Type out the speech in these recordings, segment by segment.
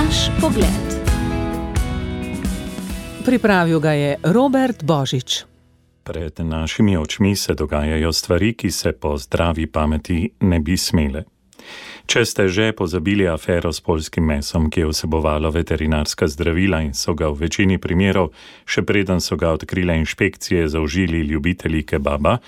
Naš pogled. Pripravil ga je Robert Božič. Pred našimi očmi se dogajajo stvari, ki se po zdravi pameti ne bi smele. Če ste že pozabili afero s poljskim mesom, ki je vsebovalo veterinarska zdravila in so ga v večini primerov, še preden so ga odkrile inšpekcije, zaužili ljubitelji kebaba,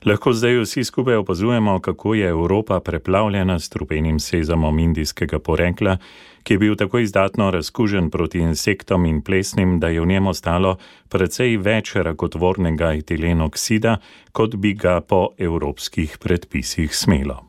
lahko zdaj vsi skupaj opazujemo, kako je Evropa preplavljena s strupenim sezamom indijskega porekla, ki je bil tako izdatno razkužen proti insektom in plesnim, da je v njem ostalo precej več rakotvornega etilenoksida, kot bi ga po evropskih predpisih smelo.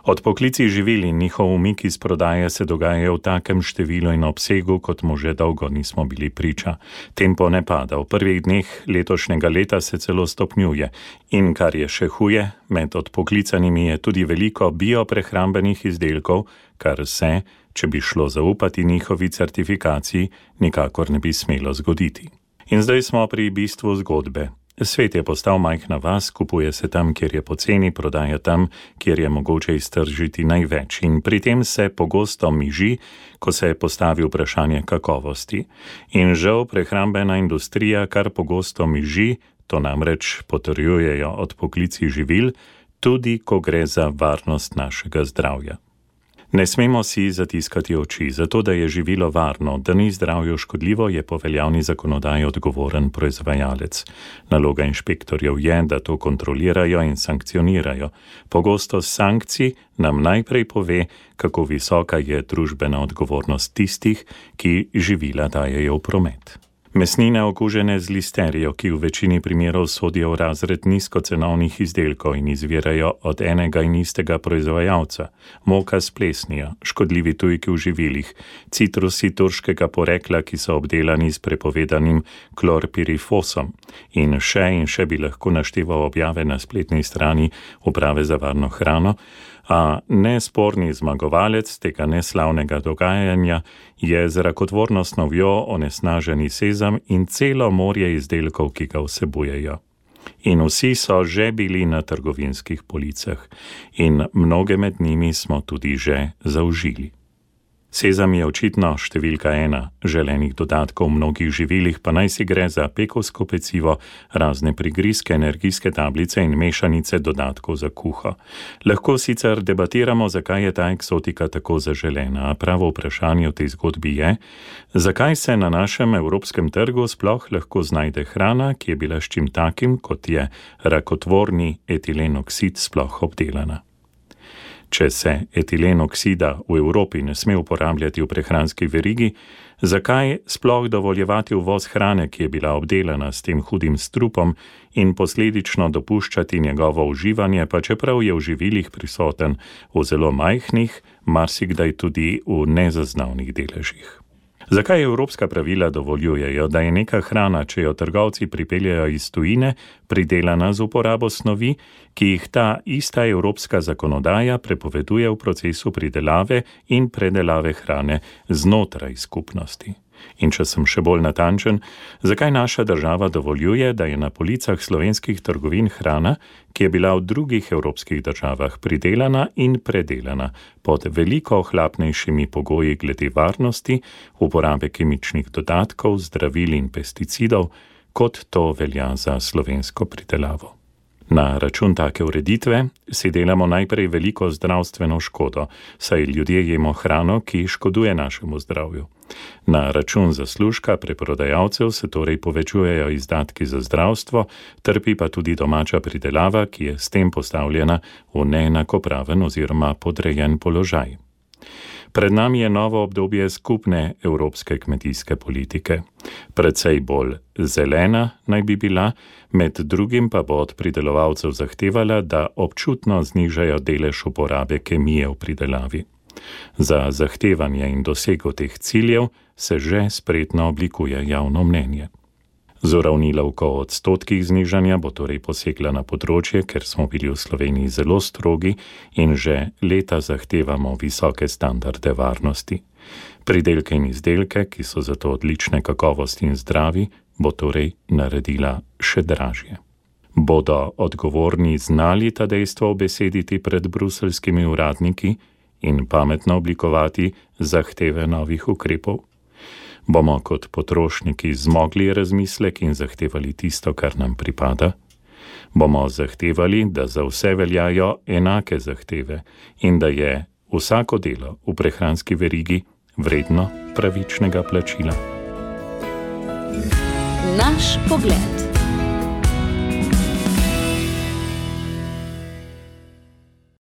Odpoklici živil in njihov umik iz prodaje se dogajajo v takem številu in obsegu, kot mu že dolgo nismo bili priča. Tempo ne pada, v prvih dneh letošnjega leta se celo stopnjuje. In kar je še huje, med odpoklicanimi je tudi veliko bioprehrambenih izdelkov, kar se, če bi šlo zaupati njihovi certifikaciji, nikakor ne bi smelo zgoditi. In zdaj smo pri bistvu zgodbe. Svet je postal majhna vas, kupuje se tam, kjer je poceni, prodaja tam, kjer je mogoče iztržiti največ. In pri tem se pogosto miži, ko se postavi vprašanje kakovosti. In žal prehrambena industrija kar pogosto miži, to namreč potrjujejo odpoklici živil, tudi ko gre za varnost našega zdravja. Ne smemo si zatiskati oči, zato da je živilo varno, da ni zdravju škodljivo, je po veljavni zakonodaji odgovoren proizvajalec. Naloga inšpektorjev je, da to kontrolirajo in sankcionirajo. Pogostost sankcij nam najprej pove, kako visoka je družbena odgovornost tistih, ki živila dajejo v promet. Mesnine okužene z listerijo, ki v večini primerov sodijo v razred nizkocenovnih izdelkov in izvirajo od enega in istega proizvajalca, moka s plesnijo, škodljivi tujki v živilih, citrusi turškega porekla, ki so obdelani s prepovedanim klorpirifosom, in še bi lahko našteval objave na spletni strani Uprave za varno hrano, a nesporni zmagovalec tega neslavnega dogajanja je z rakotvorno snovjo onesnaženi sezam in celo morje izdelkov, ki ga vsebujejo. In vsi so že bili na trgovinskih policah in mnoge med njimi smo tudi že zaužili. Sezam je očitno številka 1 želenih dodatkov v mnogih živilih, pa naj si gre za pekovsko pecivo, razne prigrizke, energijske tablice in mešanice dodatkov za kuho. Lahko sicer debatiramo, zakaj je ta eksotika tako zaželena, a pravo vprašanje v tej zgodbi je, zakaj se na našem evropskem trgu sploh lahko znajde hrana, ki je bila s čim takim, kot je rakotvorni etilenoksid, sploh obdelana. Če se etilenoksida v Evropi ne sme uporabljati v prehranski verigi, zakaj sploh dovoljevati uvoz hrane, ki je bila obdelana s tem hudim strupom in posledično dopuščati njegovo uživanje, pa čeprav je v živilih prisoten v zelo majhnih, marsikdaj tudi v nezaznavnih deležih. Zakaj evropska pravila dovoljujejo, da je neka hrana, če jo trgovci pripeljejo iz tujine, pridelana z uporabo snovi, ki jih ta ista evropska zakonodaja prepoveduje v procesu pridelave in predelave hrane znotraj skupnosti? In če sem še bolj natančen, zakaj naša država dovoljuje, da je na policah slovenskih trgovin hrana, ki je bila v drugih evropskih državah pridelana in predelana pod veliko ohlapnejšimi pogoji glede varnosti, uporabe kemičnih dodatkov, zdravil in pesticidov, kot to velja za slovensko pridelavo. Na račun take ureditve si delamo najprej veliko zdravstveno škodo, saj ljudje jemo hrano, ki škoduje našemu zdravju. Na račun zaslužka preprodajalcev se torej povečujejo izdatki za zdravstvo, trpi pa tudi domača pridelava, ki je s tem postavljena v neenakopraven oziroma podrejen položaj. Pred nami je novo obdobje skupne evropske kmetijske politike. Precej bolj zelena naj bi bila, med drugim pa bo od pridelovalcev zahtevala, da občutno znižajo delež uporabe kemije v pridelavi. Za zahtevanje in dosego teh ciljev se že spretno oblikuje javno mnenje. Z uravnilovko o odstotkih znižanja bo torej posegla na področje, ker smo bili v Sloveniji zelo strogi in že leta zahtevamo visoke standarde varnosti. Pridelke in izdelke, ki so zato odlične kakovosti in zdravi, bo torej naredila še dražje. Bodo odgovorni znali ta dejstva obesediti pred bruseljskimi uradniki in pametno oblikovati zahteve novih ukrepov? Bomo kot potrošniki zmogli razmislek in zahtevali tisto, kar nam pripada? Bomo zahtevali, da za vse veljajo enake zahteve in da je vsako delo v prehranski verigi vredno pravičnega plačila? Naš pogled.